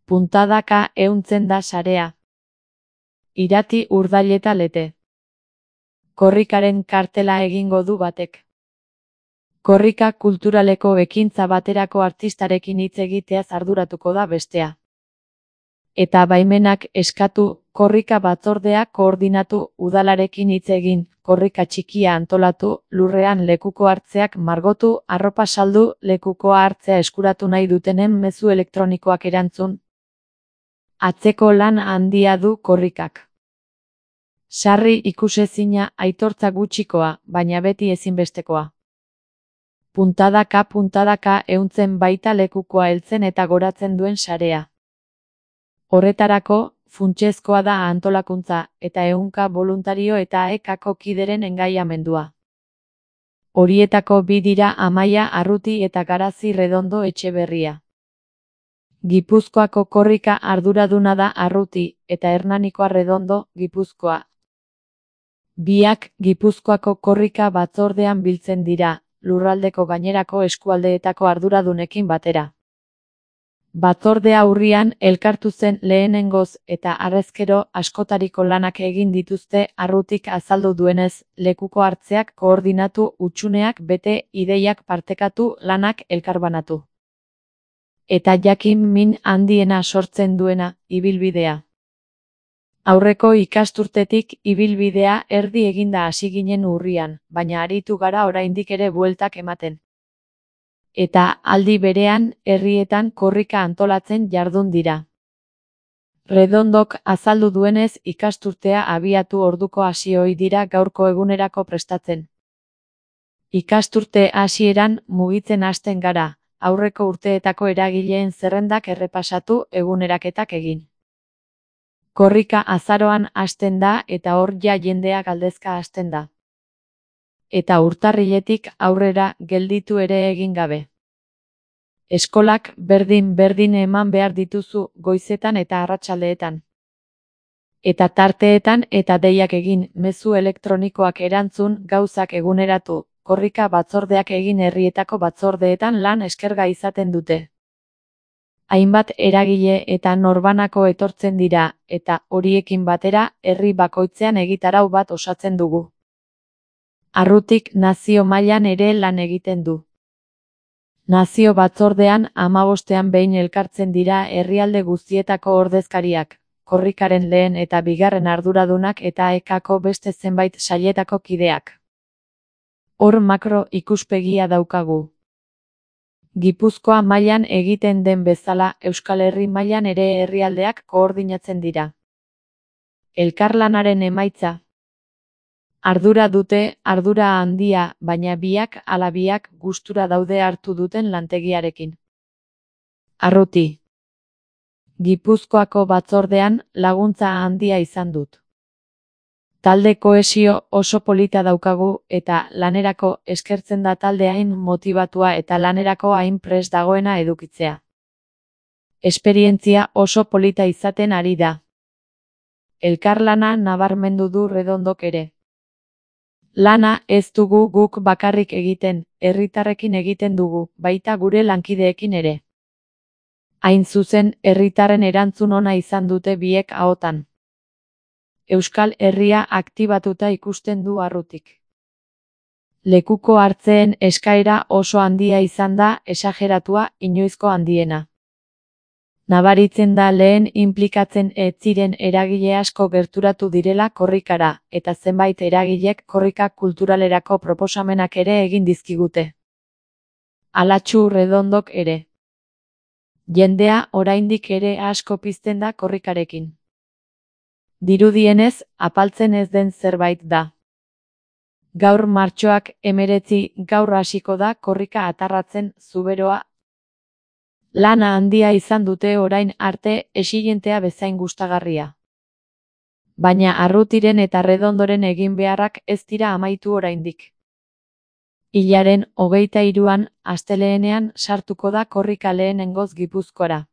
Puntadaka ehuntzen da sarea. Irati Urdaileta Lete. Korrikaren kartela egingo du batek. Korrika kulturaleko ekintza baterako artistarekin hitz egiteaz arduratuko da bestea. Eta baimenak eskatu, korrika batzordea koordinatu, udalarekin hitz egin, korrika txikia antolatu, lurrean lekuko hartzeak margotu, arropa saldu, lekukoa hartzea eskuratu nahi dutenen mezu elektronikoak erantzun. Atzeko lan handia du korrikak. Sarri ikusezina, aitortza gutxikoa, baina beti ezinbestekoa. Puntadaka ehuntzen baita lekukoa heltzen eta goratzen duen sarea. Horretarako, funtsezkoa da antolakuntza, eta ehunka boluntario eta ekako kideren engaiamendua. Horietako bi dira Amaia Arruti eta Garazi Redondo Etxeberria. Gipuzkoako korrika arduraduna da Arruti, eta Hernanikoa Redondo, Gipuzkoa. Biak Gipuzkoako korrika batzordean biltzen dira, lurraldeko gainerako eskualdeetako arduradunekin batera. Batzordea urrian elkartu zen lehenengoz eta harrezkero askotariko lanak egin dituzte. Arrutik azaldu duenez, lekuko hartzeak koordinatu, hutsuneak bete, ideiak partekatu, lanak elkarbanatu. Eta jakin min handiena sortzen duena, ibilbidea. Aurreko ikasturtetik ibilbidea erdi eginda hasi ginen urrian, baina aritu gara oraindik ere bueltak ematen. Eta aldi berean, herrietan korrika antolatzen jardun dira. Redondok azaldu duenez, ikasturtea abiatu orduko hasi ohi dira gaurko egunerako prestatzen. Ikasturte hasieran mugitzen hasten gara, aurreko urteetako eragileen zerrendak errepasatu, eguneraketak egin. Korrika azaroan hasten da eta hor ja jendea galdezka hasten da. Eta urtarriletik aurrera gelditu ere egin gabe. Eskolak berdin eman behar dituzu goizetan eta arratsaldeetan. Eta tarteetan eta deiak egin, mezu elektronikoak erantzun, gauzak eguneratu, korrika batzordeak egin herrietako batzordeetan lan eskerga izaten dute. Hainbat eragile eta norbanako etortzen dira, eta horiekin batera, herri bakoitzean egitarau bat osatzen dugu. Arrutik nazio mailan ere lan egiten du. Nazio batzordean 15ean behin elkartzen dira herrialde guztietako ordezkariak, korrikaren lehen eta bigarren arduradunak eta ekako beste zenbait sailetako kideak. Hor makro ikuspegia daukagu. Gipuzkoa mailan egiten den bezala, Euskal Herri mailan ere herrialdeak koordinatzen dira. Elkarlanaren emaitza. Ardura dute, ardura handia, baina biak ala biak gustura daude hartu duten lantegiarekin. Arruti. Gipuzkoako batzordean laguntza handia izan dut. Talde kohesio oso polita daukagu eta lanerako eskertzen da talde hain motibatua eta lanerako hain prest dagoena edukitzea. Esperientzia oso polita izaten ari da. Elkarlana nabarmendu du Redondok ere. Lana ez dugu guk bakarrik egiten, herritarrekin egiten dugu, baita gure lankideekin ere. Hain zuzen, herritarren erantzun ona izan dute biek ahotan. Euskal Herria aktibatuta ikusten du Arrutik. Lekuko hartzeen eskaera oso handia izan da, esageratua, inoizko handiena. Nabaritzen da lehen inplikatzen ez ziren eragile asko gerturatu direla korrikara, eta zenbait eragilek korrika kulturalerako proposamenak ere egin dizkigute. Alatxu Redondok ere. Jendea oraindik ere asko pizten da korrikarekin. Dirudienez, apaltzen ez den zerbait da. Gaur martxoak 19, gaur hasiko da korrika atarratzen Zuberoa. Lana handia izan dute orain arte, exilientea bezain gustagarria. Baina Arrutiren eta Redondoren egin beharrak ez dira amaitu oraindik. Hilaren 23an, astelehenean sartuko da korrika lehenengoz Gipuzkoara.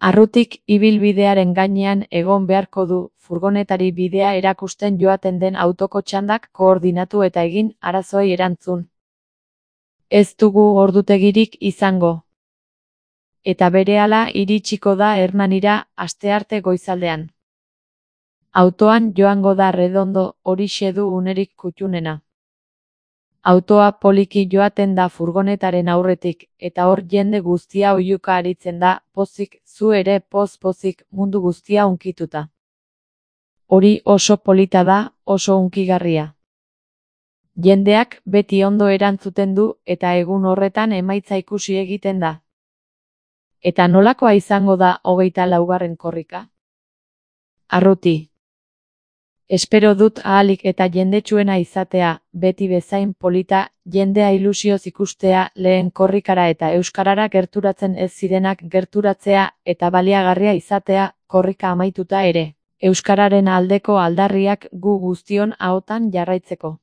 Arrutik ibilbidearen gainean egon beharko du, furgonetari bidea erakusten joaten den autoko txandak koordinatu eta egin, arazoei erantzun. Ez dugu ordutegirik izango. Eta berehala iritsiko da Hernanira astearte goizaldean. Autoan joango da Redondo, horixe du unerik kuttunena. Autoa poliki joaten da furgonetaren aurretik, eta hor jende guztia oihuka aritzen da, pozik, zu ere poz-pozik, mundu guztia hunkituta. Hori oso polita da, oso hunkigarria. Jendeak beti ondo erantzuten du, eta egun horretan emaitza ikusi egiten da. Eta nolakoa izango da 24. korrika? Arruti. Espero dut ahalik eta jendetsuena izatea, beti bezain polita, jendea ilusioz ikustea, lehen korrikara eta euskarara gerturatzen ez zirenak gerturatzea, eta baliagarria izatea, korrika amaituta ere, euskararen aldeko aldarriak gu guztion ahotan jarraitzeko.